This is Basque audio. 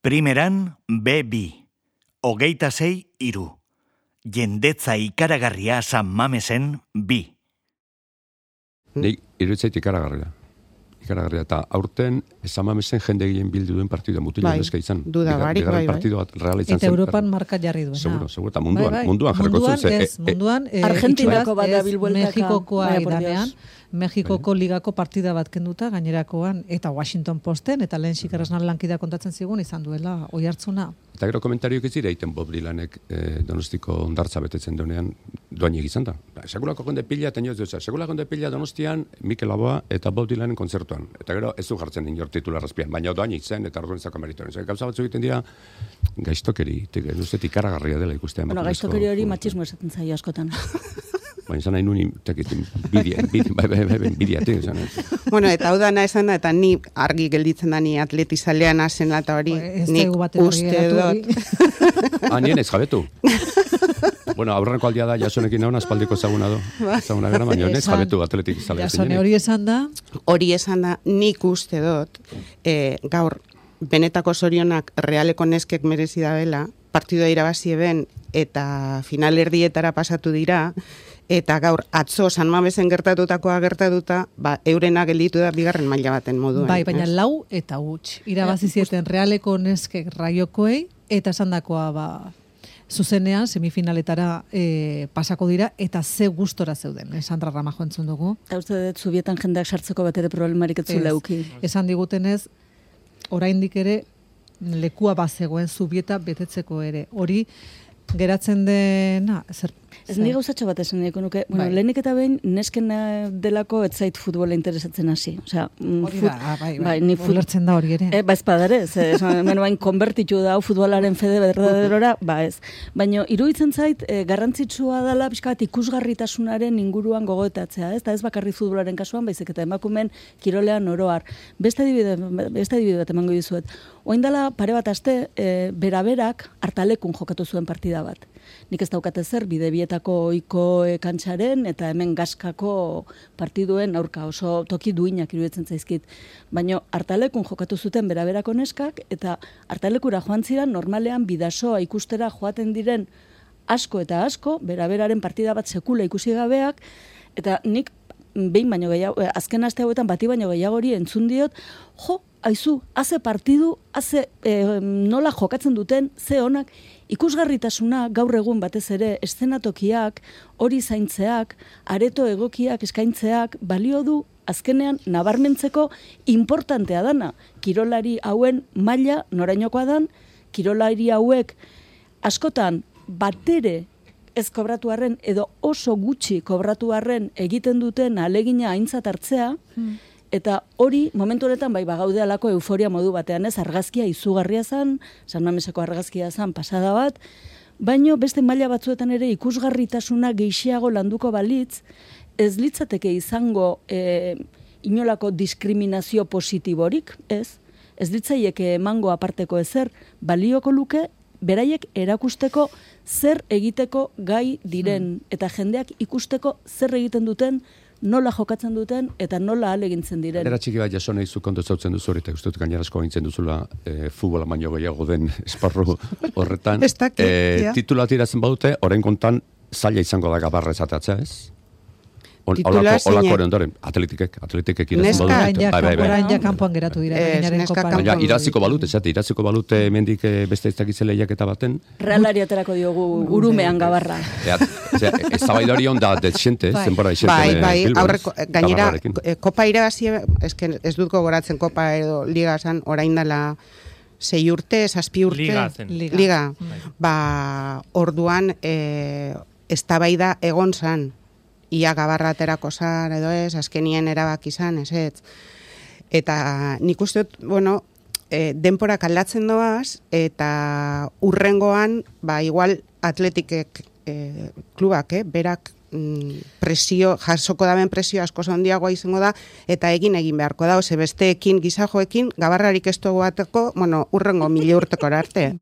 Primeran B2, 26-3. Jendetza ikaragarria San Mamesen 2. Nik iruditzait ikaragarria. Eta aurten San Mamesen jende gehien bildu duen partidua mutila neska izan. Duda barik, bai. Partidu bat reala izan zen. Eta Europan marka jarri duena. Seguro, eta munduan jarriko zuen. Munduan, Argentinako bada bilbueltaka. Mexikokoa idanean, Mexikoko ligako partida bat kenduta, gainerakoan, eta Washington Posten, eta lehen xikarrasnan lankida kontatzen zigun, izan duela oi hartzuna. Eta gero komentarioak ez dira egiten Bob Dylanek Donostiko ondartza betetzen duenean doainik izan da. Sekulako gonde pila, eta nioz dut, sekulako gonde pila Donostian, Mikel Laboa eta Bob Dylanen kontzertuan. Eta gero ez du jartzen inor titularrazpian, baina doainik zen eta orduan zako meritoren. Gauza batzu egiten dira gaiztokeri, ikaragarria dela ikustean. Bueno, gaiztokeri hori matxismo esaten zaio askotan. Baina izan nahi nuen, bidia. Bueno, eta hau dana esan da, eta ni argi gelditzen da ni atletizalean hasen eta hori, nik uste dut. Nien ez jabetu. Bueno, aurreneko aldia da Jasonekin nauna aspaldiko ezaguna do. Ezaguna gara, baina ez jabetu atletizalea. Jasone hori esan da? Hori esan da, nik uste dut, gaur, benetako zorionak realeko neskek merezi da bela, partidua irabazi eben, eta finalerdietara pasatu dira, eta gaur atzo San Mamesen gertatutakoa gertatuta, eurena gelditu da bigarren maila baten moduan. Bai, baina lau eta huts. Irabazi zieten realeko neskek raiokoei, eta esandakoa zuzenean semifinaletara pasako dira, eta ze gustora zeuden. Sandra Ramajo entzun dugu. Eta uste dut, zubietan jendeak sartzeko bat ere problemarik ez zule euki. Esan digutenez, oraindik ere lekua bazegoen zubieta betetzeko ere. Hori geratzen dena, Ez ni gauzatxo bat esan niko nuke. Bueno, lehenik eta behin, nesken delako ez zait futbola interesatzen hasi. Osea, hori bai, ulertzen da hori ere. Ez badare, bain konbertitu da futbolaren fede berdaderora, ez. Baina iruditzen zait, garrantzitsua dela pixka bat ikusgarritasunaren inguruan gogoetatzea, ez? Eta ez bakarri futbolaren kasuan, baizik eta emakumen kirolean oroar. Beste adibide bat emango dizuet. Oain dela pare bat aste, beraberak hartalekun jokatu zuen partida bat. Nik ez daukate zer, bidebietako oiko kantxaren eta hemen gaskako partiduen aurka oso toki duinak iruditzen zaizkit. Baina hartalekun jokatu zuten beraberako neskak eta hartalekura joan ziren normalean bidasoa ikustera joaten diren asko eta asko, beraberaren partida bat sekula ikusi gabeak, eta nik behin baino gehiago, azken aste hauetan bati baino gehiago hori entzun diot, aizu, haze partidu, nola jokatzen duten, ze honak, ikusgarritasuna gaur egun batez ere eszenatokiak, hori zaintzeak, areto egokiak eskaintzeak, balio du azkenean nabarmentzeko importantea dana. Kirolari hauen maila norainokoa dan, kirolari hauek askotan batere ez kobratu arren edo oso gutxi kobratu arren egiten duten ahalegina aintzat hartzea, eta hori momentu honetan bagaude alako euforia modu batean, ez argazkia izugarria zen, San Mameseko argazkia zen pasada bat, baino beste maila batzuetan ere ikusgarritasuna gehiago landuko balitz, ez litzateke izango inolako diskriminazio positiborik, ez litzaieke emango aparteko ezer, balioko luke, beraiek erakusteko zer egiteko gai diren, eta jendeak ikusteko zer egiten duten, nola jokatzen duten eta nola ahalegintzen diren. Era txiki bat Jasone izu kontu zautzen duzu hori, eta uste dut gainerasko gintzen duzula futbola baino gehiago den esparru horretan. Titula tiratzen badute, orain kontan zaila izango da gabarra esateatzea, ez? Olako ondoren, atletikek iratzen badute. Orain ja kanpoan geratu dira. Baina iraziko balute mendik beste iztakitzen lehiaketa baten. Realari aterako diogu urumean gabarra. Ez zabaida hori onda desente, zenbora desente. Bai, aurreko, gainera, kopa irabazi, ez dut gogoratzen kopa edo liga zan, orain dela 6 urte, 7 urte. Liga. Orduan, eztabaida egon zan. Ia gabarra aterako zan, edo ez, azkenien erabaki zan, ez. Eta nik uste dut, denporak aldatzen doaz, eta urrengoan, igual atletikek klubak, berak jasoko daben presio asko handiagoa izango da, eta egin beharko da, besteekin, gizajoekin, gabarrarik ez dugu bateko, urrengo 1000 urteko arte.